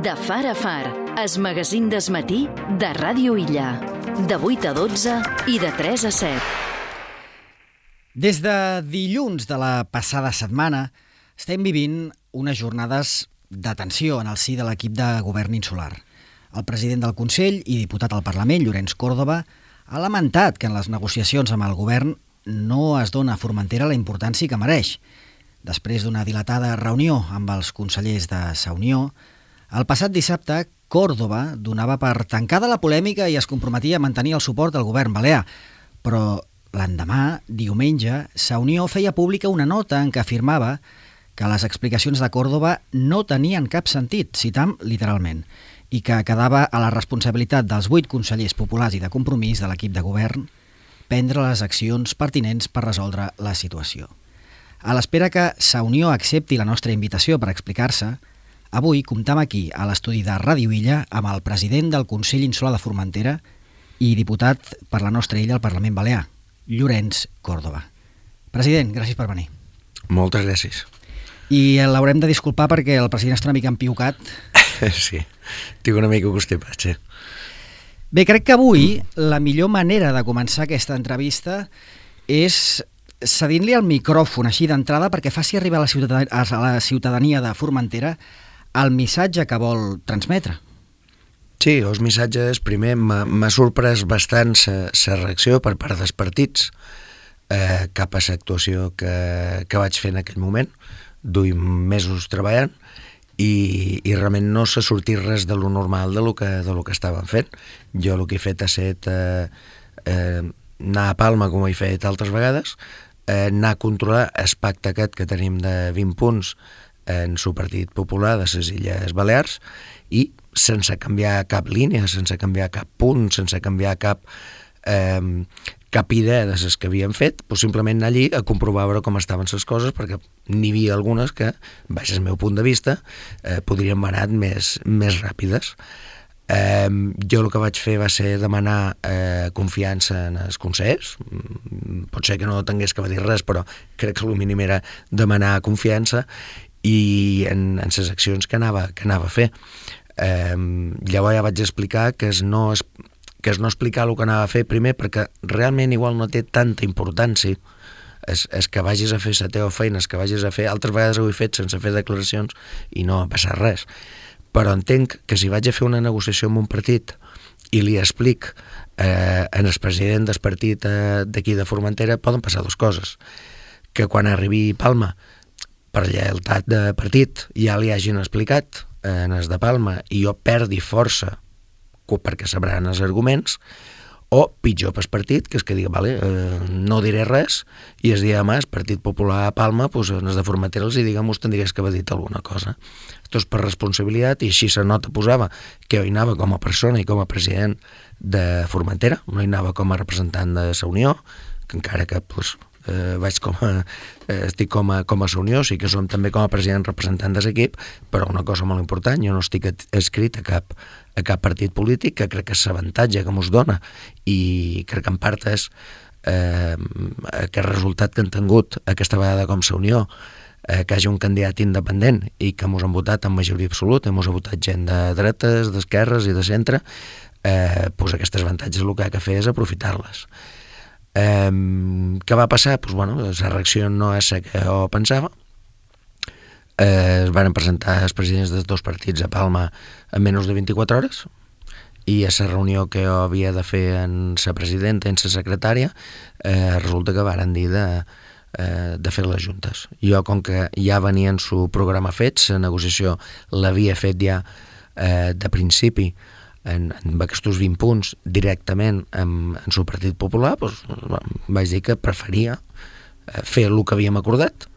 De far a far, es magazín d'esmatí de Ràdio Illa. De 8 a 12 i de 3 a 7. Des de dilluns de la passada setmana estem vivint unes jornades de tensió en el si de l'equip de govern insular. El president del Consell i diputat al Parlament, Llorenç Córdoba, ha lamentat que en les negociacions amb el govern no es dona a Formentera la importància que mereix. Després d'una dilatada reunió amb els consellers de Sa Unió, el passat dissabte Córdoba donava per tancada la polèmica i es comprometia a mantenir el suport del govern balear. Però l'endemà, diumenge, Sa Unió feia pública una nota en què afirmava que les explicacions de Córdoba no tenien cap sentit, citam literalment, i que quedava a la responsabilitat dels 8 consellers populars i de Compromís de l'equip de govern prendre les accions pertinents per resoldre la situació. A l'espera que Sa Unió accepti la nostra invitació per explicar-se, avui comptam aquí, a l'estudi de Ràdio Illa, amb el president del Consell Insular de Formentera i diputat per la nostra illa al Parlament Balear, Llorenç Córdoba. President, gràcies per venir. Moltes gràcies. I l'haurem de disculpar perquè el president està una mica empiucat. Sí, tinc una mica constipat, sí. Bé, crec que avui la millor manera de començar aquesta entrevista és cedint-li el micròfon així d'entrada perquè faci arribar a la ciutadania de Formentera el missatge que vol transmetre. Sí, els missatges, primer, m'ha sorprès bastant la reacció per part dels partits cap a l'actuació que vaig fer en aquell moment. Duim mesos treballant i realment no s'ha sortit res de lo normal de lo que estàvem fent. Jo el que he fet ha estat anar a Palma, com he fet altres vegades, anar a controlar el pacte aquest que tenim de 20 punts en el Partit Popular de les Illes Balears i sense canviar cap línia, sense canviar cap punt, sense canviar cap idea de les que havíem fet, doncs simplement anar allí a comprovar veure com estaven les coses, perquè n'hi havia algunes que, baix el meu punt de vista, podrien haver anat més ràpides. Jo el que vaig fer va ser demanar confiança en els consellers. Pot ser que no tingués que dir res, però crec que el mínim era demanar confiança i en les accions que anava a fer. Llavors ja vaig explicar que és no explicar el que anava a fer, primer perquè realment igual no té tanta importància és que vagis a fer la teva feina, és que vagis a fer, altres vegades ho he fet sense fer declaracions i no ha passat res, però entenc que si vaig a fer una negociació amb un partit i li explic en el president del partit d'aquí de Formentera, poden passar dues coses: que quan arribi a Palma per lleialtat de partit ja li hagin explicat en els de Palma i jo perdi força perquè sabran els arguments, o pitjor pel partit, que és que digui, vale, no diré res, i el dia demà el Partit Popular a Palma, doncs en els de Formentera els diguem, us tindries que haver dit alguna cosa. Això és per responsabilitat, i així la nota posava que jo hi anava com a persona i com a president de Formentera, no hi anava com a representant de Sa Unió, que encara que estic com a Sa Unió, sí que som també com a president representant de l'equip, però una cosa molt important, jo no estic escrit a cap partit polític, que crec que és l'avantatge que mos dona, i crec que en part és aquest resultat que han tingut aquesta vegada com Sa Unió, que hi hagi un candidat independent i que mos han votat en majoria absoluta, mos ha votat gent de dretes, d'esquerres i de centre, doncs aquests avantatges el que ha de fer és aprofitar-les. Què va passar? La reacció no és la que jo pensava. Es van presentar els presidents dels dos partits a Palma en menys de 24 hores i a la reunió que jo havia de fer amb la presidenta i amb la secretària resulta que varen dir de fer les juntes. Jo, com que ja venia en su programa fet, la negociació l'havia fet ja de principi en aquests 20 punts directament en el Partit Popular, doncs vaig dir que preferia fer el que havíem acordat,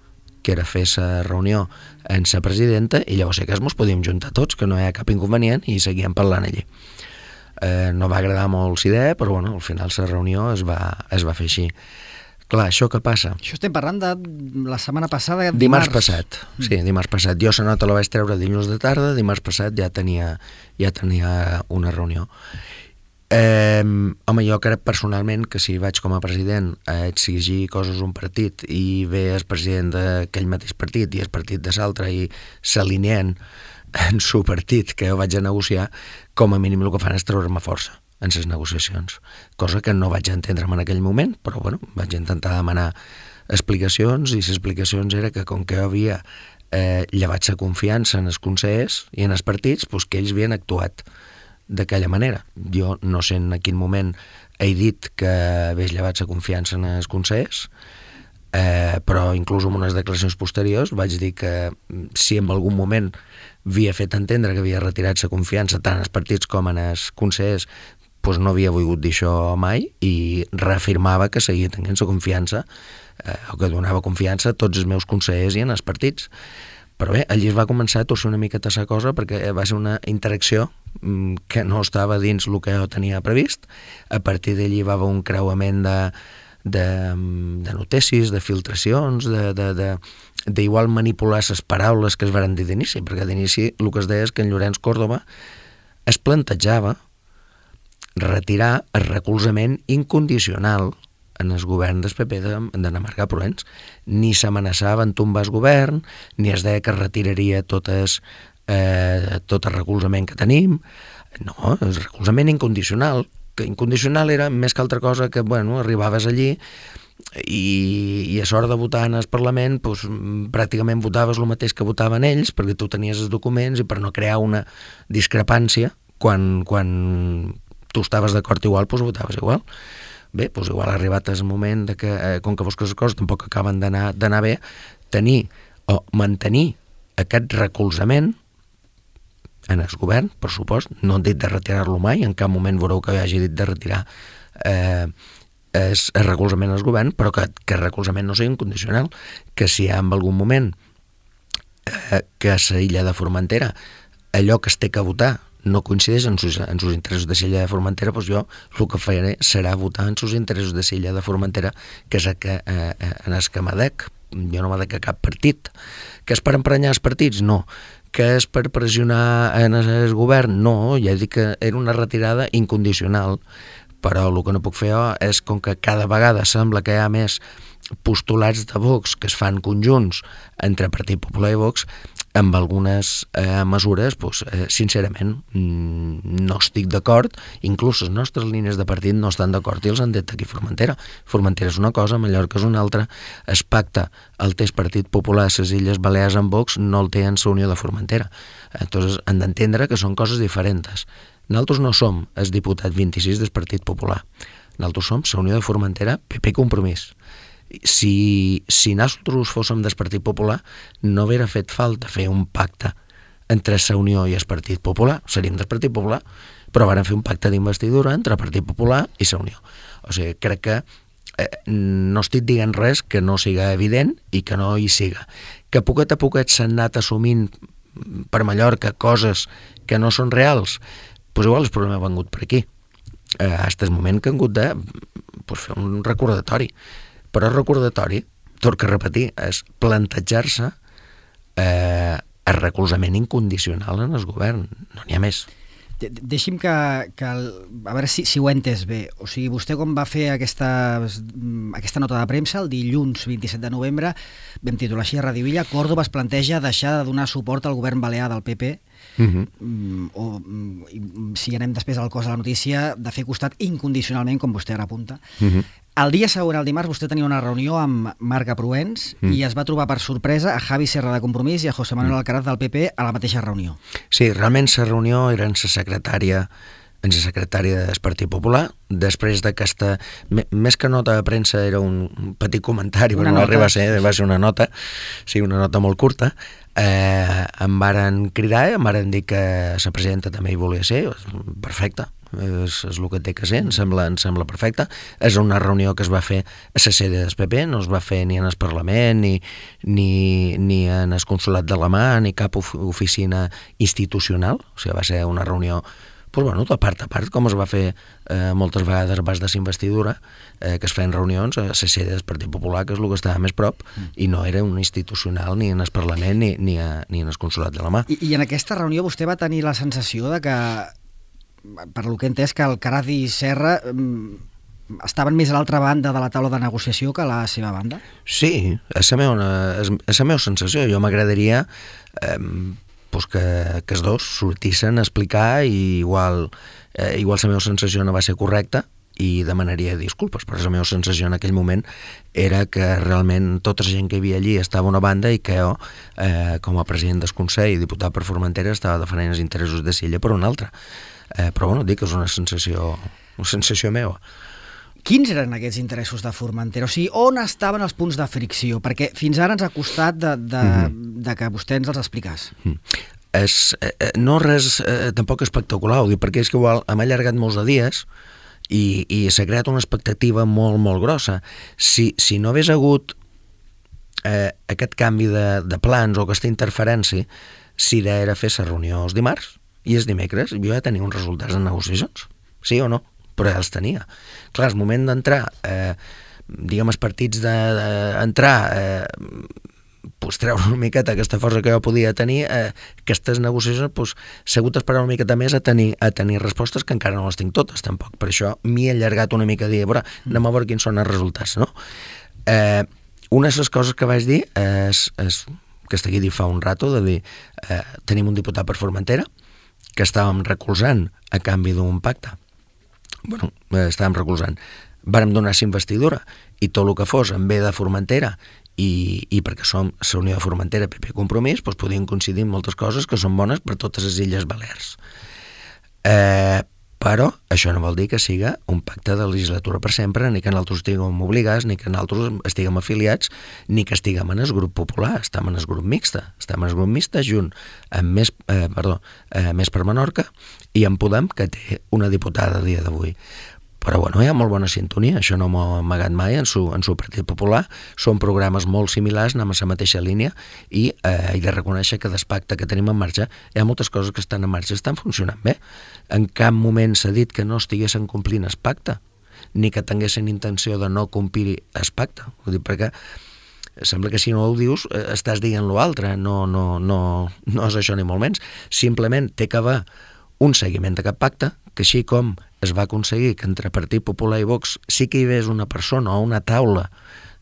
que era fer la reunió amb la presidenta, i llavors sí que ens podíem juntar tots, que no hi ha cap inconvenient, i seguíem parlant allí. No va agradar molt la idea, però al final la reunió es va fer així. Clar, això què passa? Això estem parlant de la setmana passada, dimarts passat. Sí, dimarts passat. Jo la nota la vaig treure dilluns de tarda, dimarts passat ja tenia una reunió. Home, jo crec personalment que si vaig com a president a exigir coses a un partit i ve el president d'aquell mateix partit i el partit de l'altre i s'alineen en su partit que jo vaig a negociar, com a mínim el que fan és treure-me força en les negociacions, cosa que no vaig entendre en aquell moment, però bueno, vaig intentar demanar explicacions, i les explicacions era que com que jo havia llevat la confiança en els consellers i en els partits, doncs que ells havien actuat d'aquella manera. Jo no sé en quin moment he dit que hagués llevat la confiança en els consellers, però inclús en unes declaracions posteriors vaig dir que si en algun moment havia fet entendre que havia retirat la confiança tant als partits com en els consellers, doncs no havia volgut dir això mai, i reafirmava que seguia tenint la confiança, o que donava confiança a tots els meus consellers i en els partits. Però bé, allí es va començar a torcer una miqueta la cosa, perquè va ser una interacció que no estava dins el que jo tenia previst. A partir d'allí va haver un creuament de notícies, de filtracions, d'igual manipular les paraules que es van dir d'inici, perquè d'inici el que es deia és que en Llorenç Córdoba es plantejava retirar el recolzament incondicional en el govern del PP d'en Marga Proens. Ni s'amenaçava en tombar el govern, ni es deia que retiraria tot el recolzament que tenim. No, el recolzament incondicional, que incondicional era més que altra cosa que, bueno, arribaves allí i a l'hora de votar en el Parlament doncs, pràcticament votaves el mateix que votaven ells, perquè tu tenies els documents, i per no crear una discrepància, quan tu estaves d'acord igual, doncs votaves igual. Bé, doncs igual ha arribat el moment de que, com que les coses tampoc acaben d'anar bé, tenir o mantenir aquest recolzament en el govern, per supost. No han dit de retirar-lo mai, en cap moment veureu que hagi dit de retirar el recolzament al govern, però que el recolzament no sigui incondicional, que si hi ha en algun moment que a l'illa de Formentera allò que es té que votar no coincideix en sus interessos de l'illa de Formentera, doncs jo el que faré serà votar en sus interessos de l'illa de Formentera, que és en el que m'adec. Jo no m'adec a cap partit. Que és per emprenyar els partits? No. Que és per pressionar en el govern? No, ja dic que era una retirada incondicional, però el que no puc fer jo és, com que cada vegada sembla que hi ha més postulats de Vox que es fan conjunts entre Partit Popular i Vox, amb algunes mesures, doncs, sincerament, no estic d'acord. Inclús les nostres línies de partit no estan d'acord i els han dit aquí Formentera. Formentera és una cosa, Mallorca és una altra. Es pacta el té el Partit Popular a les Illes Balears amb Vox, no el té en la Unió de Formentera. Entonces, han d'entendre que són coses diferents. Nosaltres no som el diputat 26 del Partit Popular. Nosaltres som la Unió de Formentera, PP Compromís. Si nosaltres fóssim del Partit Popular, no hauria fet falta fer un pacte entre la Unió i el Partit Popular. Seríem del Partit Popular, però varen fer un pacte d'investidura entre el Partit Popular i la Unió. O sigui, crec que no estic dient res que no siga evident i que no hi siga. Que poquet a poquet s'han anat assumint per Mallorca coses que no són reals, doncs igual el problema ha vengut per aquí. Fins el moment que han hagut de fer un recordatori. Però el recordatori, torno a repetir, és plantejar-se el recolzament incondicional en el govern. No n'hi ha més. Deixi'm que a veure si ho he entès bé. O sigui, vostè quan va fer aquesta nota de premsa, el dilluns 27 de novembre, vam titular així a Radio Illa, Córdoba es planteja deixar de donar suport al govern balear del PP, o si anem després al cos de la notícia, de fer costat incondicionalment, com vostè ara apunta. El dia següent, el dimarts, vostè tenia una reunió amb Marga Proens i es va trobar per sorpresa a Javi Serra de Compromís i a José Manuel Alcaraz del PP a la mateixa reunió. Sí, realment la reunió era en la secretària del Partit Popular, després d'aquesta, més que nota de premsa, era un petit comentari, però no arriba a ser, va ser una nota, sí, una nota molt curta. Em varen cridar, em varen dir que la presidenta també hi volia ser, perfecte, és el que té que ser, em sembla perfecte. És una reunió que es va fer a la sede del PP, no es va fer ni en el Parlament, ni en el Consolat d'Alemà, ni cap oficina institucional, o sigui, va ser una reunió de part a part, com es va fer moltes vegades abans de l'investidura, que es feien reunions a la sede del Partit Popular, que és el que estava més prop, i no era un institucional ni en el Parlament ni en el Consolat d'Alemà. I en aquesta reunió vostè va tenir la sensació de que, per lo que he entès, que Alcaraz i Serra estaven més a l'altra banda de la taula de negociació que a la seva banda? Sí, és la meva sensació. Jo m'agradaria pues que els dos sortissin a explicar i igual la meva sensació no va ser correcta i demanaria disculpes, però la meva sensació en aquell moment era que realment tota la gent que hi havia allí estava a una banda i que jo, com a president del Consell i diputat per Formentera, estava defendent els interessos de Silla per una altra. Però bueno, dic que és una sensació meva. Quins eren aquests interessos de Formentera? O sigui, on estaven els punts de fricció? Perquè fins ara ens ha costat de que vostè ens els explicàs. No res tampoc espectacular, ho dic, perquè és que igual hem allargat molts de dies i s'ha creat una expectativa molt, molt grossa. Si no hagués hagut aquest canvi de plans o aquesta interferència, si idea era fer la reunió els dimarts i els dimecres, jo ja tenia uns resultats de negociacions, sí o no? Però ja els tenia. Clar, el moment d'entrar, diguem, els partits d'entrar, pues, treure una miqueta aquesta força que jo podia tenir, aquestes negociacions, s'ha hagut d'esperar una miqueta més a tenir respostes que encara no les tinc totes, tampoc. Per això m'hi he allargat una mica a dir, però anem a veure quins són els resultats, no? Una de les coses que vaig dir és que estigui dit fa un rato, de dir, tenim un diputat per Formentera que estàvem recolzant a canvi d'un pacte. Bueno, estàvem recolzant. Vàrem donar la investidura i tot el que fos en bé de Formentera i perquè som la Unió de Formentera PP Compromís, doncs podien coincidir en moltes coses que són bones per totes les Illes Balears. Però això no vol dir que siga un pacte de legislatura per sempre, ni que nosaltres estiguem obligats, ni que nosaltres estiguem afiliats, ni que estiguem en el grup popular, estem en el grup mixte. Estem en el grup mixte junt amb Més per Menorca i en Podem, que té una diputada a dia d'avui. Però bueno, hi ha molt bona sintonia, això no m'ho ha amagat mai en su Partit Popular, són programes molt similars, anem a la mateixa línia i he de reconèixer que des pacte que tenim en marxa hi ha moltes coses que estan en marxa, estan funcionant bé. En cap moment s'ha dit que no estiguessin complint el pacte, ni que tinguessin intenció de no complir el pacte. Ho dic perquè sembla que si no ho dius estàs dient l'altre, no és això ni molt menys. Simplement té que haver un seguiment d'aquest pacte, que així com es va aconseguir que entre Partit Popular i Vox sí que hi hagués una persona o una taula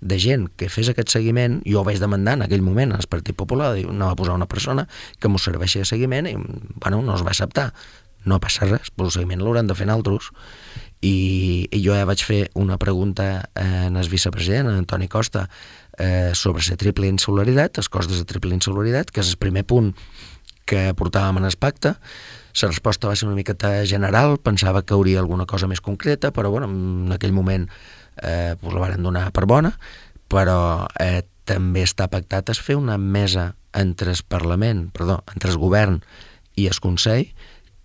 de gent que fes aquest seguiment, jo ho vaig demandar en aquell moment al Partit Popular, no va posar una persona que m'ho serveixi de seguiment i bueno, no es va acceptar. No passa res, però el seguiment l'hauran de fer altres. I jo ja vaig fer una pregunta al vicepresident, en Antoni Costa, sobre la triple insularitat, els costos de triple insularitat, que és el primer punt que portàvem en el pacte. La resposta va ser una miqueta general, pensava que hauria alguna cosa més concreta, però bueno, en aquell moment la varen donar per bona, però també està pactat fer una mesa entre el govern i el Consell,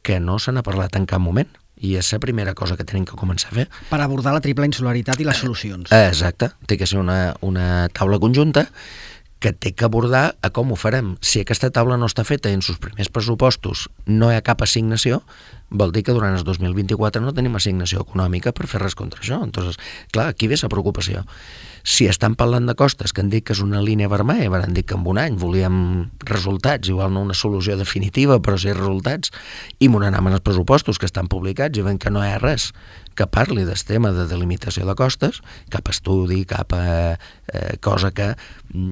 que no se n'ha parlat en cap moment, i és la primera cosa que tenim que començar a fer. Per abordar la triple insularitat i les solucions. Exacte, té que ser una taula conjunta que té que abordar a com ho farem. Si aquesta taula no està feta i en els primers pressupostos no hi ha cap assignació, vol dir que durant el 2024 no tenim assignació econòmica per fer res contra això. Entonces, clar, aquí ve la preocupació. Si estan parlant de costes, que han dit que és una línia vermella, van dir que en un any volíem resultats, igual no una solució definitiva, però sí resultats, i m'ho anem als pressupostos que estan publicats i veiem que no hi ha res que parli del tema de delimitació de costes, cap estudi, cap cosa que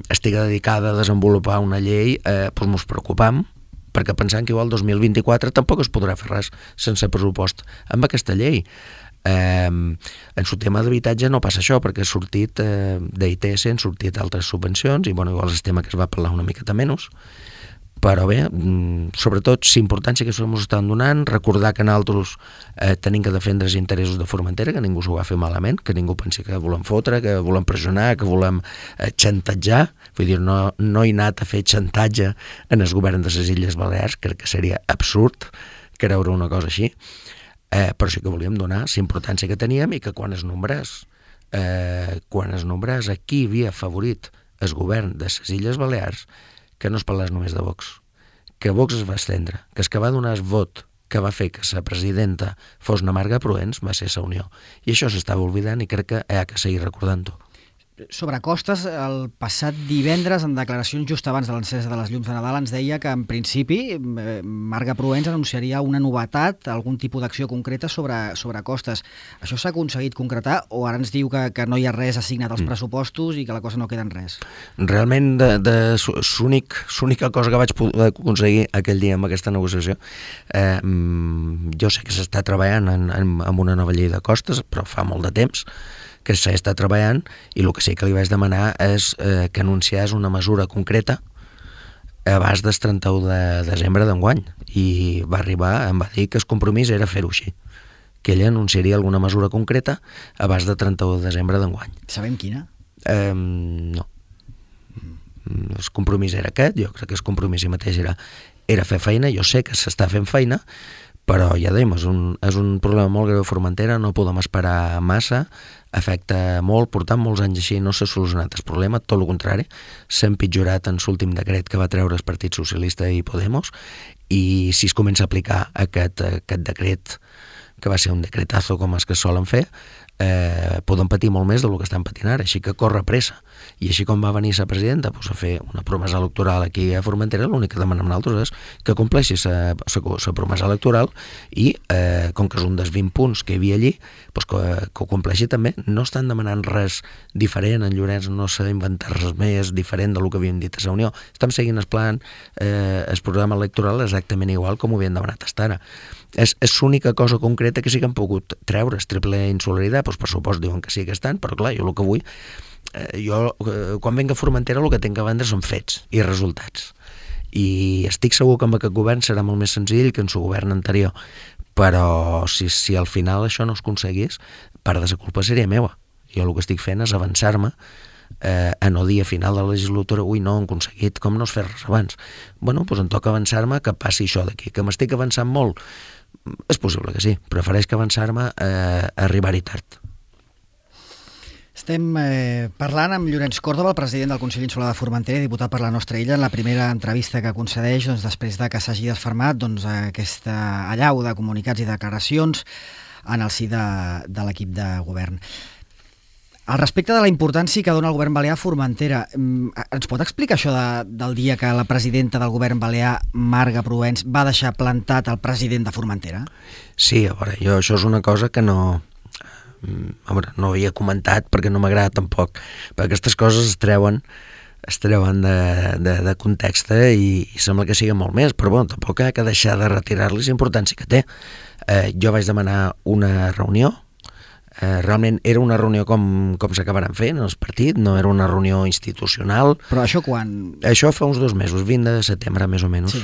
estigui dedicada a desenvolupar una llei, doncs mos preocupam, perquè pensant que igual el 2024 tampoc es podrà fer res sense pressupost amb aquesta llei. En el tema d'habitatge no passa això, perquè ha sortit d'ITS, han sortit altres subvencions, i bueno, igual és el tema que es va parlar una miqueta menys, però bé, sobretot l'importància que ens estan donant, recordar que nosaltres tenim que defendre els interessos de Formentera, que ningú s'ho va fer malament, que ningú pensi que volem fotre, que volem pressionar, que volem xantatjar, vull dir, no he anat a fer xantatge en el govern de les Illes Balears, crec que seria absurd creure una cosa així, però sí que volíem donar la importància que teníem i que quan es nombrés a qui havia favorit el govern de les Illes Balears, que no es parlés només de Vox, que Vox es va estendre, que el que va donar el vot que va fer que la presidenta fos na Marga Proens va ser la Unió. I això s'estava oblidant i crec que hi ha que seguir recordant-ho. Sobre costes, el passat divendres, en declaracions just abans de l'encesa de les llums de Nadal, ens deia que, en principi, Marga Proens anunciaria una novetat, algun tipus d'acció concreta sobre costes. Això s'ha aconseguit concretar o ara ens diu que no hi ha res assignat als pressupostos i que la cosa no queda en res? Realment, l'única cosa que vaig poder aconseguir aquell dia amb aquesta negociació, jo sé que s'està treballant en una nova llei de costes, però fa molt de temps que s'està treballant, i el que sí que li vaig demanar és que anunciés una mesura concreta abans del 31 de desembre d'enguany, i va arribar, em va dir que el compromís era fer-ho així, que ella anunciaria alguna mesura concreta abans del 31 de desembre d'enguany. Sabem quina? No. El compromís era aquest, jo crec que el compromís mateix era fer feina, jo sé que s'està fent feina, però ja dèiem, és un problema molt greu a Formentera, no podem esperar massa, afecta molt, portant molts anys així, no s'ha solucionat el problema, tot el contrari, s'ha empitjorat en l'últim decret que va treure el Partit Socialista i Podemos, i si es comença a aplicar aquest decret, que va ser un decretazo com els que solen fer, podem patir molt més del que estan patint ara, així que corre pressa. I així com va venir la presidenta a fer una promesa electoral aquí a Formentera, l'únic que demanem nosaltres és que compleixi la promesa electoral i, com que és un dels 20 punts que hi havia allí, que ho compleixi també. No estan demanant res diferent, en Llorenç no s'ha d'inventar res més diferent del que havíem dit a la Unió. Estem seguint el plan, el programa electoral exactament igual com ho havien demanat fins ara. És l'única cosa concreta que sí que han pogut treure, el triple insolidaritat, doncs per supost diuen que sí que estan, però clar, jo el que vull, quan venga a Formentera el que tinc a vendre són fets i resultats. I estic segur que amb aquest govern serà molt més senzill que en el govern anterior, però si al final això no es aconseguís, part de la culpa seria meva. Jo el que estic fent és avançar-me a no dir a final de la legislatura no han aconseguit, com no es fer res abans. Doncs em toca avançar-me que passi això d'aquí, que m'estic avançant molt. És possible que sí, prefereix que avançar-me a arribar-hi tard. Estem parlant amb Llorenç Còrdova, el president del Consell Insular de Formentera i diputat per la nostra illa, en la primera entrevista que concedeix després de que s'hagi desfermat aquesta allau de comunicats i declaracions en el si de l'equip de govern. Al respecte de la importància que dona el govern balear a Formentera, ens pot explicar això del dia que la presidenta del govern balear, Marga Proens, va deixar plantat el president de Formentera? Sí, a veure, jo això és una cosa que no havia comentat perquè no m'agrada tampoc, perquè aquestes coses es treuen de context i sembla que sigui molt més, però tampoc ha de deixar de retirar-li la importància que té. Jo vaig demanar una reunió. Realment era una reunió com s'acabaran fent el partit, no era una reunió institucional. Però això quan? Això fa uns 2 mesos, 20 de setembre més o menys. Sí.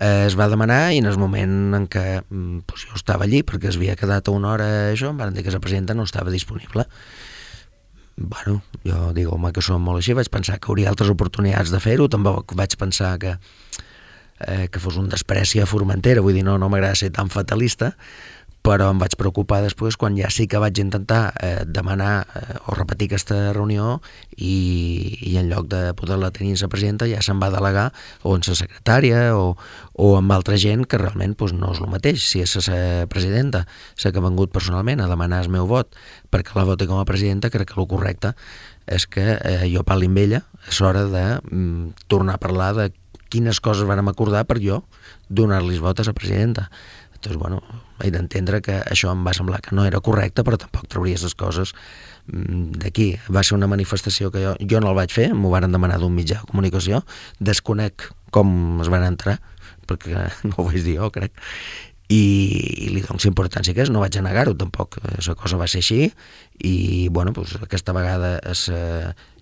Es va demanar i en el moment en què jo estava allí, perquè es havia quedat a una hora això, em van dir que la presidenta no estava disponible. Jo dic, home, que som molt així, vaig pensar que hauria altres oportunitats de fer-ho, també vaig pensar que fos un despreci a Formentera, vull dir, no m'agrada ser tan fatalista, però em vaig preocupar després quan ja sí que vaig intentar demanar o repetir aquesta reunió i en lloc de poder-la tenir la presidenta ja se'n va delegar o en la secretària o amb altra gent que realment no és el mateix. Si és la presidenta la que ha vengut personalment a demanar el meu vot perquè la voti com a presidenta, crec que el correcte és que jo parli amb ella. És hora de tornar a parlar de quines coses vàrem acordar per jo donar-li vot a la presidenta. Doncs, he d'entendre que això em va semblar que no era correcte, però tampoc trauries les coses d'aquí. Va ser una manifestació que jo no el vaig fer, m'ho varen demanar d'un mitjà de comunicació, desconec com es van entrar, perquè no ho vaig dir jo, crec, i li dono importància que és, no vaig a negar-ho tampoc, la cosa va ser així, i aquesta vegada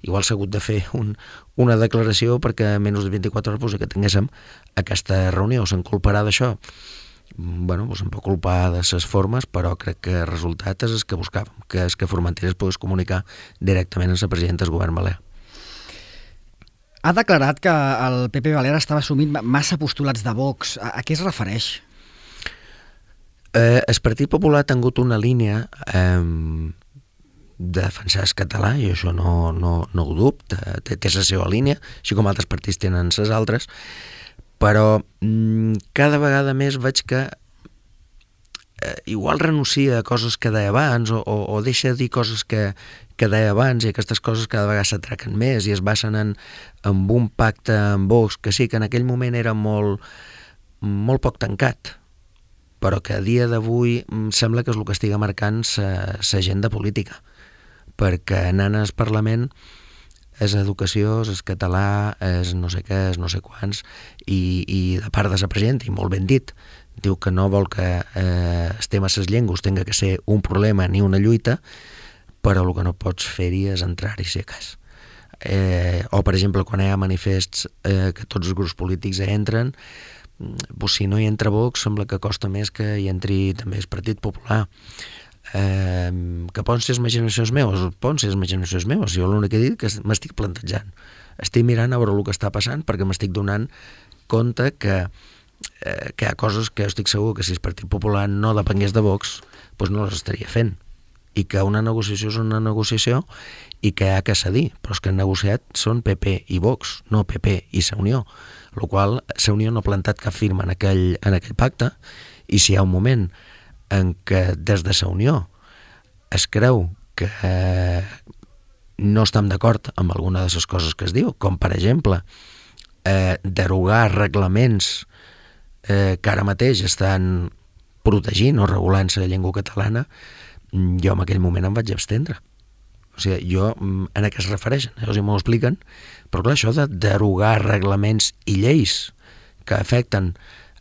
igual s'ha hagut de fer una declaració perquè en menys de 24 hores que tinguéssim aquesta reunió, se'n culparà d'això. Em puc culpar de les formes, però crec que el resultat és el que buscàvem, que és que Formentera es pogués comunicar directament amb la presidenta del govern balear. Ha declarat que el PP balear estava assumint massa postulats de Vox. A què es refereix? El Partit Popular ha tingut una línia de defensar el català, i això no ho dubte, té la seva línia, així com altres partits tenen les altres, però cada vegada més veig que igual renuncia a coses que deia abans o deixa de dir coses que que deia abans, i aquestes coses cada vegada s'atraquen més i es basen en un pacte amb Vox, que sí, que en aquell moment era molt poc tancat, però que a dia d'avui sembla que és el que estiga marcant l'agenda política, perquè anant al Parlament és educació, és català, és no sé què, és no sé quants, i de part de la presidenta, i molt ben dit, diu que no vol que el tema de les llengües tinga que ser un problema ni una lluita, però el que no pots fer-hi és entrar-hi, si a cas. O, per exemple, quan hi ha manifests que tots els grups polítics hi entren, doncs, si no hi entra Vox, sembla que costa més que hi entri també el Partit Popular. Que poden ser imaginacions meves, jo l'únic que he dit que m'estic plantejant, estic mirant a veure el que està passant, perquè m'estic donant compte que hi ha coses que jo estic segur que si el Partit Popular no depengués de Vox, doncs no les estaria fent, i que una negociació és una negociació i que hi ha que cedir, però els que han negociat són PP i Vox, no PP i la Unió, el qual la Unió no ha plantat cap firma en aquell pacte, i si hi ha un moment en què des de la Unió es creu que no estem d'acord amb alguna de les coses que es diu, com per exemple derogar reglaments que ara mateix estan protegint o regulant la llengua catalana, jo en aquell moment em vaig abstendre. O sigui, jo en què es refereixen? O sigui, m'ho expliquen, però clar, això de derogar reglaments i lleis que afecten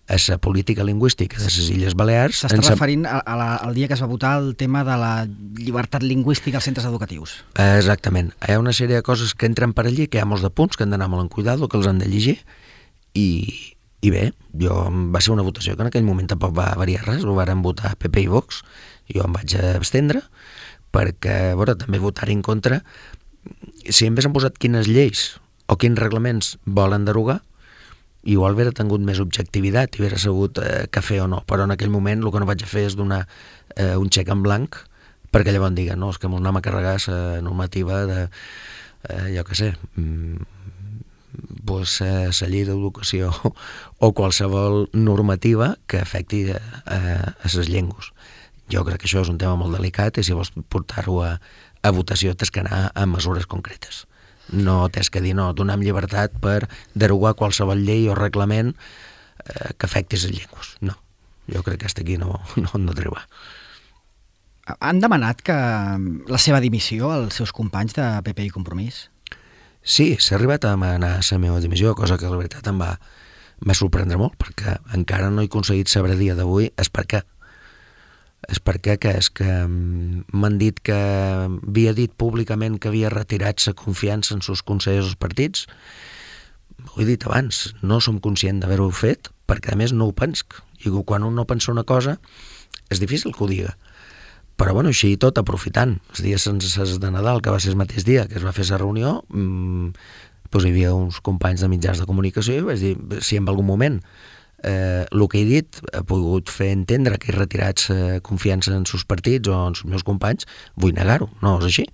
a la política lingüística de les Illes Balears... S'està referint al dia que es va votar el tema de la llibertat lingüística als centres educatius. Exactament. Hi ha una sèrie de coses que entren per allí, que hi ha molts de punts que han d'anar molt en cuidado, que els han de llegir, i bé, va ser una votació que en aquell moment tampoc va variar res, ho varen votar PP i Vox, jo em vaig abstendre, perquè, a veure, també votar en contra, si en haguessin posat quines lleis o quins reglaments volen derogar, igual hauria tingut més objectivitat i hauria sabut què fer o no, però en aquell moment el que no vaig fer és donar un xec en blanc perquè llavors diguen, no, és que mos anem a carregar la normativa de, jo què sé, pues, la llei d'educació o qualsevol normativa que afecti a les llengües. Jo crec que això és un tema molt delicat i si vols portar-ho a votació tens que anar a mesures concretes. No tens que dir, no, donem llibertat per derogar qualsevol llei o reglament que afecti les llengües. No, jo crec que hasta aquí no arriba. Han demanat que la seva dimissió als seus companys de PP i Compromís? Sí, s'ha arribat a demanar la meva dimissió, cosa que la veritat em va sorprendre molt, perquè encara no he aconseguit saber a dia d'avui és per què. És perquè és que m'han dit que havia dit públicament que havia retirat la confiança en els consellers dels partits. Ho he dit abans, no som conscients d'haver-ho fet, perquè a més no ho penso. I quan un no pensa una cosa, és difícil que ho diga. Però bueno, així tot, aprofitant els dies sense de Nadal, que va ser el mateix dia que es va fer la reunió, doncs hi havia uns companys de mitjans de comunicació i vaig dir, si en algun moment el que he dit ha pogut fer entendre que he retirat confiança en els partits o en els meus companys, vull negar-ho, no és així,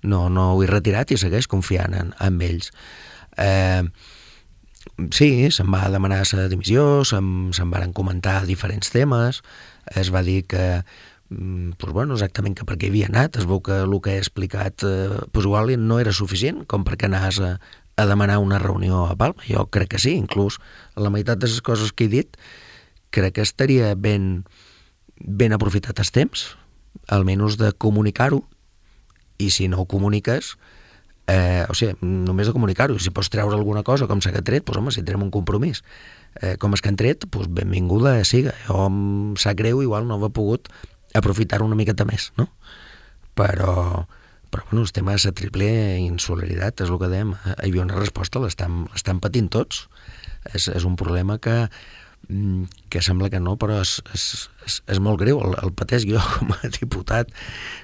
no ho he retirat i segueix confiant en ells. Sí, se'm va demanar la dimissió, se'm van comentar diferents temes, es va dir que exactament que per què havia anat, es veu que el que he explicat igual no era suficient com perquè anaves a demanar una reunió a Palma. Jo crec que sí, inclús la meitat de les coses que he dit crec que estaria ben aprofitat el temps, almenys de comunicar-ho, i si no ho comuniques, només de comunicar-ho, si pots treure alguna cosa com s'ha tret, doncs home, si trem un compromís com és que han tret, doncs benvinguda siga. Jo em sap greu, igual no havia pogut aprofitar una miqueta més, no? Però bueno, el tema de la triple insolidaritat és el que dèiem, hi havia una resposta, l'estan patint tots, és un problema que sembla que no, però és molt greu, el pateix jo com a diputat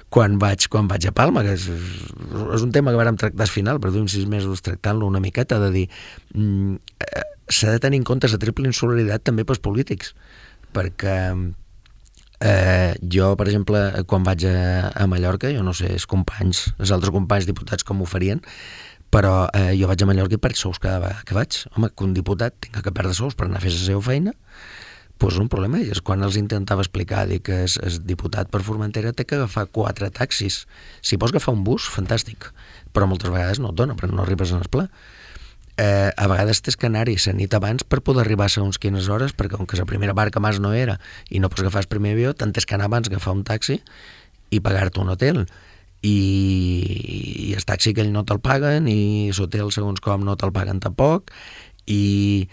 quan vaig a Palma, que és un tema que vàrem tractar al final, però d'un 6 mesos tractant-lo una miqueta, de dir s'ha de tenir en compte la triple insolidaritat també pels polítics, perquè jo, per exemple, quan vaig a Mallorca, jo no sé els altres companys diputats com ho farien, però jo vaig a Mallorca i perds sous cada vegada que vaig. Home, que un diputat tinga que perdre sous per anar a fer la seva feina, pues un problema, i és quan els intentava explicar, dir que el diputat per Formentera té que agafar 4 taxis. Si pots agafar un bus, fantàstic, però moltes vegades no et dona, perquè no arribes en el pla. A vegades tens que anar-hi la nit abans per poder arribar a segons quines hores, perquè com que la primera barca més no era i no pots agafar el primer avió, tens que anar abans a agafar un taxi i pagar-te un hotel, i el taxi que ell no te'l paguen, i l'hotel segons com no te'l paguen tampoc, i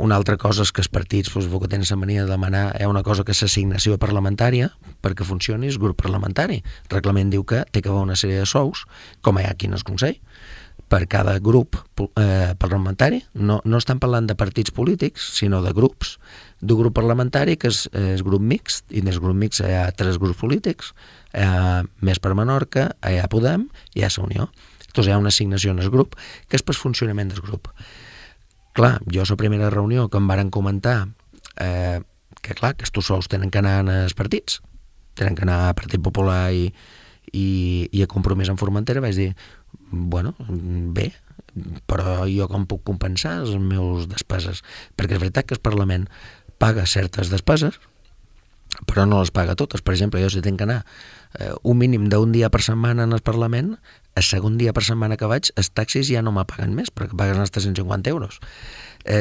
una altra cosa és que els partits que tenen la mania de demanar una cosa que és l'assignació parlamentària perquè funcioni el grup parlamentari. El reglament diu que té que haver una sèrie de sous, com hi ha aquí en el Consell, per cada grup parlamentari. No estan parlant de partits polítics, sinó de grups. D'un grup parlamentari, que és el grup mixt, i en el grup mixt hi ha 3 grups polítics, hi ha Més per Menorca, hi ha Podem i hi ha la Unió. Llavors hi ha una assignació en el grup, que és pel funcionament del grup. Clar, jo a la primera reunió que em varen comentar que clar, que estos sous tenen que anar als partits, tenen que anar a Partit Popular i a Compromís en Formentera, vaig dir, bueno, bé, però jo com puc compensar les meves despeses? Perquè és veritat que el Parlament paga certes despeses, però no les paga totes. Per exemple, jo si tinc que anar un mínim d'un dia per setmana en el Parlament, el segon dia per setmana que vaig, els taxis ja no me paguen més, perquè paguen els 350 euros.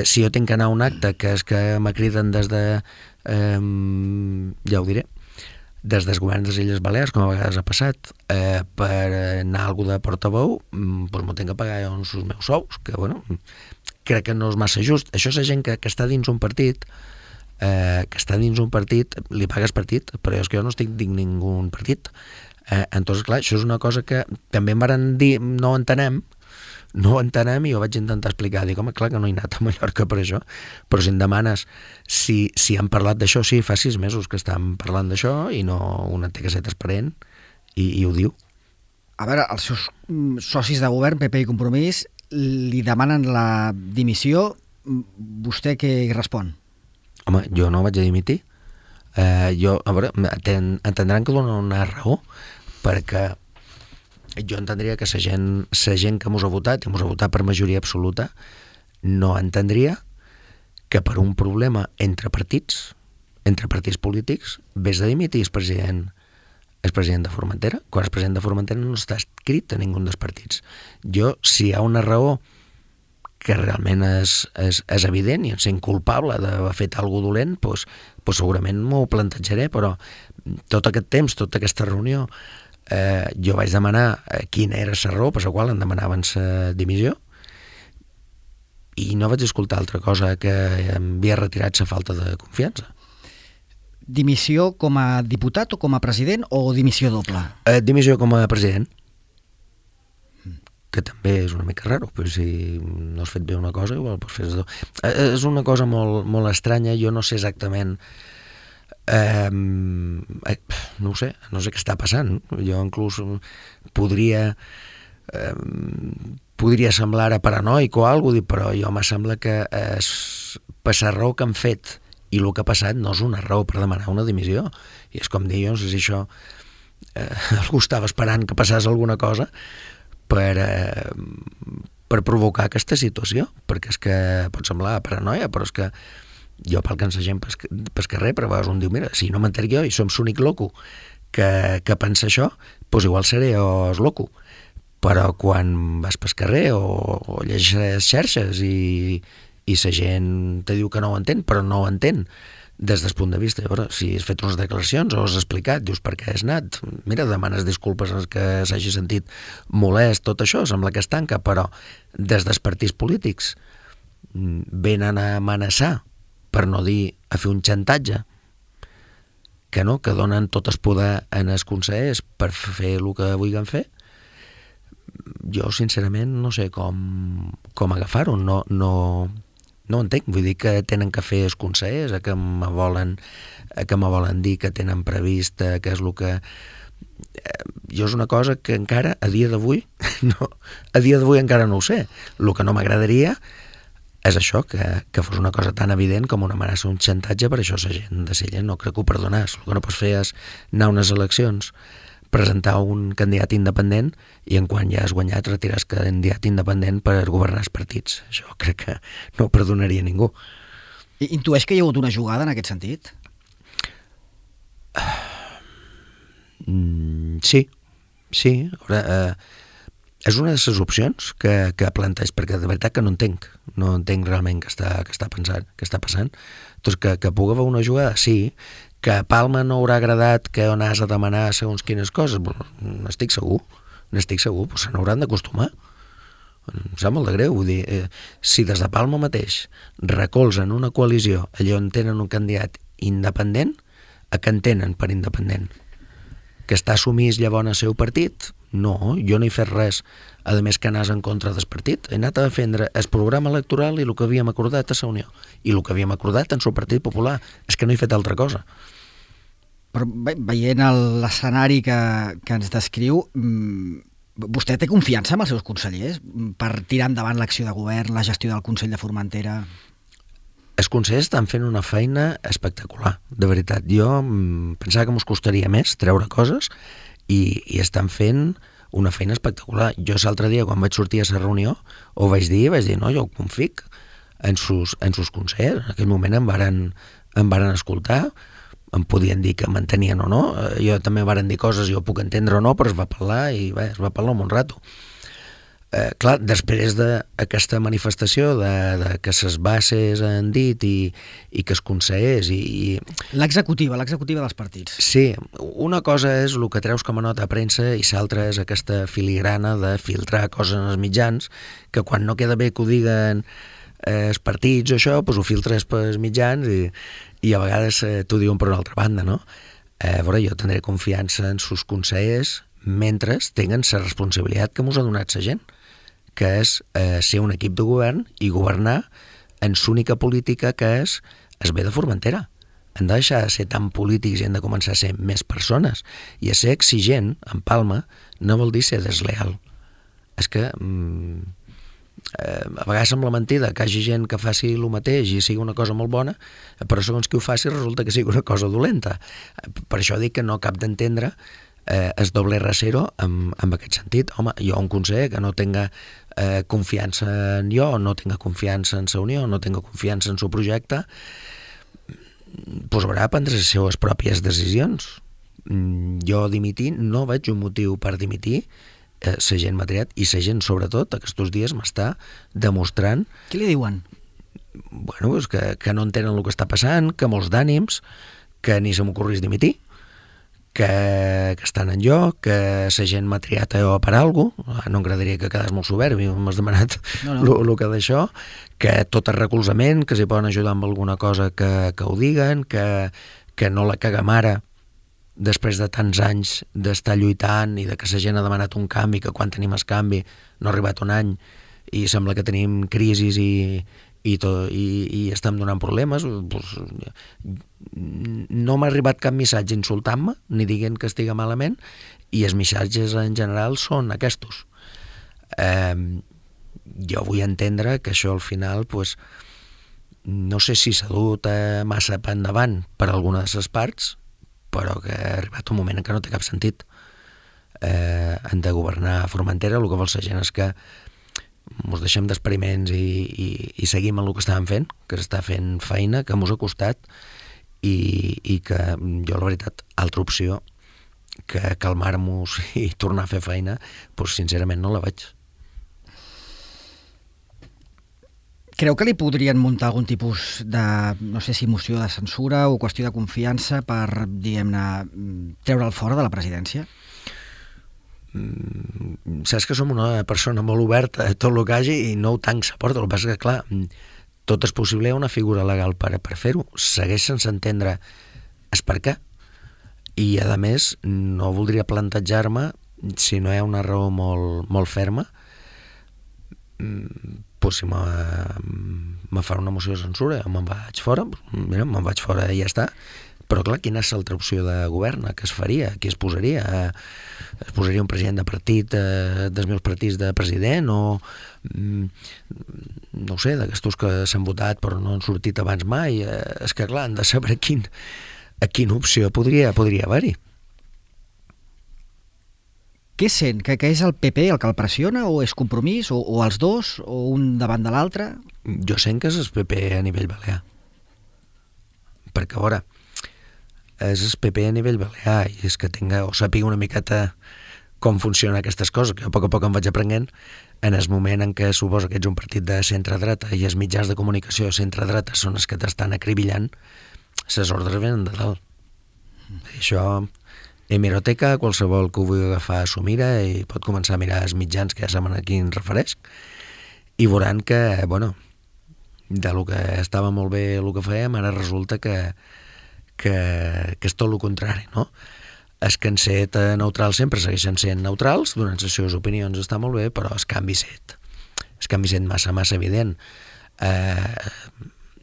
Si jo tinc que anar a un acte, que és que me criden des de, ja ho diré, des dels governs de les Illes Balears, com a vegades ha passat, per anar a algú de portaveu, doncs m'ho tinc que pagar els meus sous, que bueno, crec que no és massa just. Això és la gent que està dins un partit, li pagues partit, però és que jo no estic dins ningú partit. Entonces, clar, això és una cosa que també em van dir, no ho entenem, i jo vaig intentar explicar, dic, home, clar que no he anat a Mallorca per això, però si em demanes si han parlat d'això, sí, fa 6 mesos que estan parlant d'això i no una té que ser transparent i ho diu. A veure, els seus socis de govern, PP i Compromís, li demanen la dimissió, vostè què hi respon? Home, jo no vaig a dimitir. A veure, entendran que donen una raó, perquè jo entendria que la gent que mos ha votat, i mos ha votat per majoria absoluta, no entendria que per un problema entre partits polítics, vés de dimitir el president de Formentera, quan el president de Formentera no està escrit a ningú dels partits. Jo, si hi ha una raó que realment és evident i ens sent culpable d'haver fet alguna dolent, doncs segurament m'ho plantejaré, però tot aquest temps, tota aquesta reunió, jo vaig demanar quina era la raó per la qual em demanaven la dimissió i no vaig escoltar altra cosa que em havia retirat la falta de confiança. Dimissió com a diputat o com a president o dimissió doble? Dimissió com a president, que també és una mica raro, però si no has fet bé una cosa igual pots fer dos. És una cosa molt, molt estranya, jo no sé exactament no ho sé què està passant. Jo inclús podria semblar paranoic o alguna cosa, però jo me sembla que per la raó que han fet i el que ha passat no és una raó per demanar una dimissió. I és com dir, jo no sé si això algú estava esperant que passés alguna cosa per provocar aquesta situació, perquè és que pot semblar paranoia, però és que jo pel que ens gent pel carrer, però a vegades un diu, mira, si no m'entenc jo i som l'únic loco que pensa això, doncs igual seré jo el loco. Però quan vas pel carrer o llegeixes xarxes i la gent te diu que no ho entén, però no ho entén des del punt de vista, llavors, si has fet unes declaracions o has explicat, dius per què has anat, mira, demanes disculpes als que s'hagi sentit molest, tot això, sembla que es tanca, però des dels partits polítics venen a amenaçar, per no dir a fer un xantatge, que donen tot el poder en els consellers per fer el que vulguin fer. Jo, sincerament, no sé com agafar-ho, no entenc, vull dir que tenen que fer els consellers, que me volen dir que tenen previst, que és el que... Jo és una cosa que encara, a dia d'avui encara no ho sé. El que no m'agradaria és això, que fos una cosa tan evident com una amenaça, un xantatge, per això la gent de Sella no crec que ho perdonàs. El que no pots fer és anar a unes eleccions, presentar un candidat independent i en quan ja has guanyat retirar el candidat independent per governar els partits. Això crec que no ho perdonaria ningú. Intueix que hi ha hagut una jugada en aquest sentit? Sí. És una de les opcions que planteja, perquè de veritat que no entenc realment què està passant. Doncs que pugui haver una jugada, sí, que a Palma no haurà agradat que on has a demanar segons quines coses, n'estic segur, però se n'hauran d'acostumar. Em sap molt de greu, vull dir, si des de Palma mateix recolzen una coalició allà on tenen un candidat independent, a què entenen per independent? Que està sumís llavors al seu partit? No, jo no he fet res, a més que anàs en contra del partit. He anat a defendre el programa electoral i el que havíem acordat a la Unió, i el que havíem acordat en el Partit Popular. És que no he fet altra cosa. Però veient l'escenari que ens descriu, vostè té confiança en els seus consellers per tirar endavant l'acció de govern, la gestió del Consell de Formentera? Els consellers estan fent una feina espectacular, de veritat. Jo pensava que mos costaria més treure coses i estan fent una feina espectacular. Jo l'altre dia, quan vaig sortir a la reunió, ho vaig dir, no, jo confic en sus consellers. En aquell moment em varen escoltar, em podien dir que m'entenien o no, jo també em varen dir coses, jo puc entendre o no, però es va parlar i es va parlar un bon rato. Clar, després d'aquesta manifestació de que les bases han dit i que es consellers i... L'executiva dels partits. Sí, una cosa és el que treus com a nota a premsa i l'altra és aquesta filigrana de filtrar coses en els mitjans, que quan no queda bé que ho diguen els partits o això, doncs ho filtres pels mitjans i a vegades t'ho diuen per una altra banda, no? A veure, jo tindré confiança en sus consellers mentre tinguen la responsabilitat que mos ha donat la gent, que és ser un equip de govern i governar en l'única política que és el bé de Formentera. Hem de deixar de ser tan polítics i hem de començar a ser més persones. I a ser exigent, en Palma, no vol dir ser desleal. És que a vegades sembla mentida que hi hagi gent que faci el mateix i sigui una cosa molt bona, però segons qui ho faci resulta que sigui una cosa dolenta. Per això dic que no cap d'entendre es doble rasero en aquest sentit. Home, jo un conseller que no tenga confiança en jo, no tenga confiança en la Unió, no tenga confiança en el projecte, doncs haurà de prendre les seves pròpies decisions. Jo dimitir no veig un motiu per dimitir. La gent m'ha triat i la gent sobretot aquests dies m'està demostrant... Què li diuen? Bueno, doncs que no entenen el que està passant, que molts d'ànims, que ni se m'ocorrís dimitir, que estan en lloc, que la gent m'ha triat a jo per alguna cosa, no m'agradaria que quedés molt soberbi, m'has demanat el que d'això, que tot el recolzament, que s'hi poden ajudar amb alguna cosa que ho diguen, que no la caguem ara, després de tants anys d'estar lluitant i de que la gent ha demanat un canvi, que quan tenim el canvi no ha arribat un any i sembla que tenim crisis i estem donant problemes, doncs, no m'ha arribat cap missatge insultant-me ni dient que estigui malament, i els missatges en general són aquests. Jo vull entendre que això al final doncs, no sé si s'ha dut massa per endavant per alguna de les parts, però que ha arribat un moment en què no té cap sentit. Han de governar a Formentera, el que vol la gent és que ens deixem d'experiments i seguim en el que estàvem fent, que s'està fent feina, que mos ha costat i que jo, la veritat, altra opció que calmar-nos i tornar a fer feina, doncs sincerament no la veig. Creu que li podrien muntar algun tipus de, no sé si moció de censura o qüestió de confiança per, diguem-ne, treure'l fora de la presidència? Saps que som una persona molt oberta a tot el que hagi i no ho tanc sa porta. El que passa que, clar, tot és possible, hi ha una figura legal per fer-ho. Segueix sense entendre el per què. I, a més, no voldria plantejar-me, si no hi ha una raó molt ferma, doncs si me fa una moció de censura, me'n vaig fora, mira, me'n vaig fora i ja està. Però, clar, quina és l'altra opció de govern? Què es faria? Qui es posaria? Es posaria un president de partit, dels meus partits de president, o no ho sé, d'aquestos que s'han votat però no han sortit abans mai? És que, clar, han de saber a quina opció podria haver-hi. Què sent? Que és el PP el que el pressiona, o és Compromís, o els dos, o un davant de l'altre? Jo sent que és el PP a nivell balear. perquè, a veure, és el PP a nivell balear i és que sàpiga una miqueta com funcionen aquestes coses, que jo a poc em vaig aprenent en el moment en què suposa que ets un partit de centre-dreta i els mitjans de comunicació centre-dreta són els que t'estan acribillant, les ordres venen de dalt. Això, hemeroteca, qualsevol que ho vulgui agafar s'ho mira i pot començar a mirar els mitjans que ja saben a qui em refereix i veuran que, bueno, de lo que estava molt bé el que fèiem, ara resulta que és tot el contrari, no? Els que han set neutrals sempre segueixen sent neutrals, donant les seves opinions està molt bé, però el canvi set massa evident.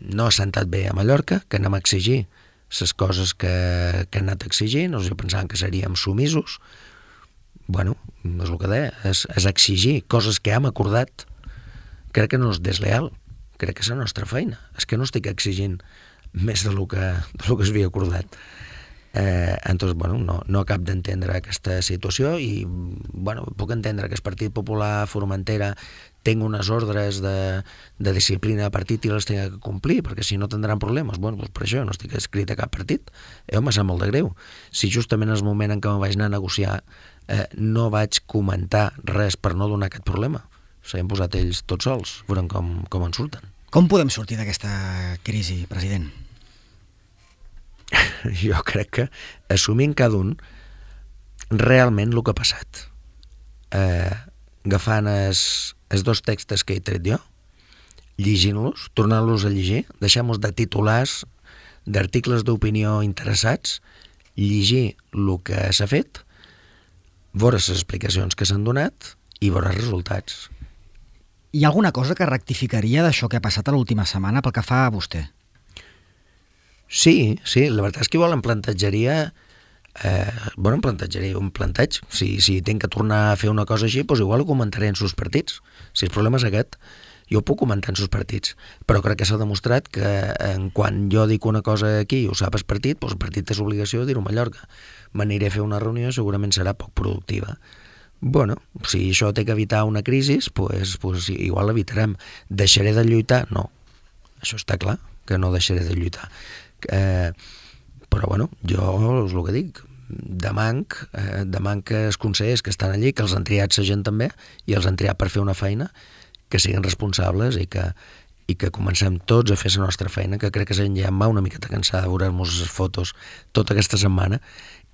No ha sentat bé a Mallorca, que anem a exigir les coses que han anat exigint, jo pensàvem que seríem sumisos. Bueno, és el que deia, és exigir coses que hem acordat. Crec que no és desleal, crec que és la nostra feina. És que no estic exigint més del que es havia acordat. Entonces, bueno, no acabo d'entendre aquesta situació i, bueno, puc entendre que el Partit Popular Formentera tingui unes ordres de disciplina de partit i les tingui que complir, perquè si no tindran problemes. Bueno, doncs per això no estic escrit a cap partit. M'ha sap molt de greu. Si justament en el moment en què me vaig anar a negociar no vaig comentar res per no donar aquest problema, s'han posat ells tots sols, veurem com en surten. Com podem sortir d'aquesta crisi, president? Jo crec que assumint cada un realment el que ha passat, agafant els dos textos que he tret jo, llegint-los, tornant-los a llegir, deixant-nos de titulars d'articles d'opinió interessats, llegir el que s'ha fet, veure les explicacions que s'han donat i veure els resultats. Hi ha alguna cosa que rectificaria d'això que ha passat a l'última setmana pel que fa a vostè? Sí, la veritat és que igual em plantejaria un planteig. Si tinc que tornar a fer una cosa així, doncs igual ho comentaré en sus partits. Si el problema és aquest, jo ho puc comentar en sus partits. Però crec que s'ha demostrat que quan jo dic una cosa aquí i ho sap el partit, doncs el partit té l'obligació de dir-ho a Mallorca. M'aniré a fer una reunió, segurament serà poc productiva. Bueno, si això té que evitar una crisi, doncs igual l'evitarem. Deixaré de lluitar? No. Això està clar, que no deixaré de lluitar. Però bueno, jo és el que dic, demanc que els consellers que estan allí, que els han triat la gent també i els han triat per fer una feina, que siguin responsables i que comencem tots a fer la nostra feina, que crec que la gent ja em va una miqueta cansada de veure-nos les fotos tota aquesta setmana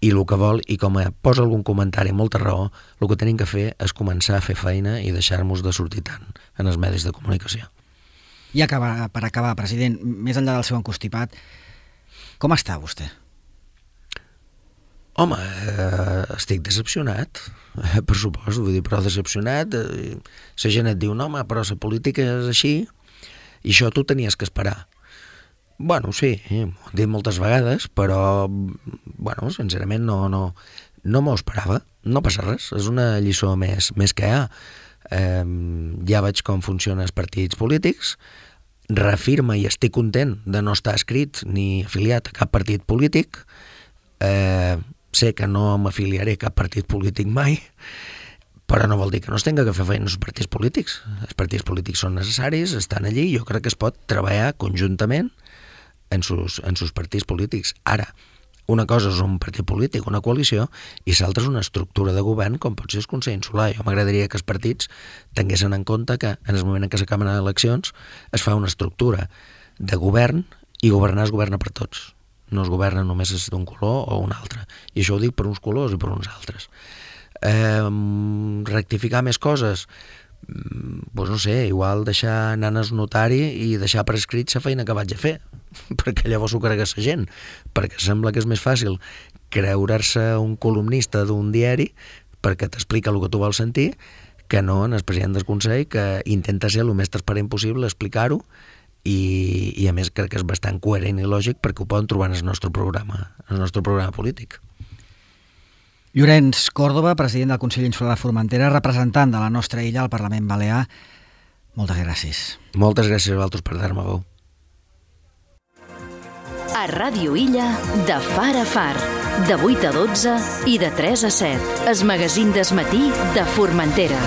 i el que vol, i com posa algun comentari amb molta raó, el que tenim que fer és començar a fer feina i deixar-nos de sortir tant en els medis de comunicació. I per acabar, president, més enllà del seu encostipat, com està vostè? Home, estic decepcionat, per supost, vull dir, però decepcionat. La gent et diu, no, home, però la política és així, i això tu tenies que esperar. Bueno, sí, m'ho han dit moltes vegades, però, bueno, sincerament no m'ho esperava. No passa res, és una lliçó més que hi ha. Ja veig com funcionen els partits polítics, reafirma i estic content de no estar escrit ni afiliat a cap partit polític. Sé que no m'afiliaré a cap partit polític mai, però no vol dir que no es tenga que fer feina als partits polítics. Els partits polítics són necessaris, estan allí, jo crec que es pot treballar conjuntament en sus partits polítics. Ara, una cosa és un partit polític, una coalició, i l'altra és una estructura de govern com pot ser el Consell Insular. Jo m'agradaria que els partits tinguessin en compte que en el moment en què s'acaben les eleccions es fa una estructura de govern i governar es governa per tots. No es governa només d'un color o un altre. I això ho dic per uns colors i per uns altres. Rectificar més coses? Doncs no sé, igual deixar anar al notari i deixar per escrit la feina que vaig a fer, perquè llavors ho cregués la gent, perquè sembla que és més fàcil creure-se un columnista d'un diari perquè t'explica el que tu vols sentir que no en el president del Consell, que intenta ser el més transparent possible, explicar-ho, i a més crec que és bastant coherent i lògic perquè ho poden trobar en el nostre programa polític. Llorenç Còrdova, president del Consell Insular de Formentera, representant de la nostra illa al Parlament Balear, moltes gràcies. Moltes gràcies a vosaltres per dar-me veu. A Ràdio Illa, de far a far, de 8 a 12 i de 3 a 7, el magazín del matí de Formentera.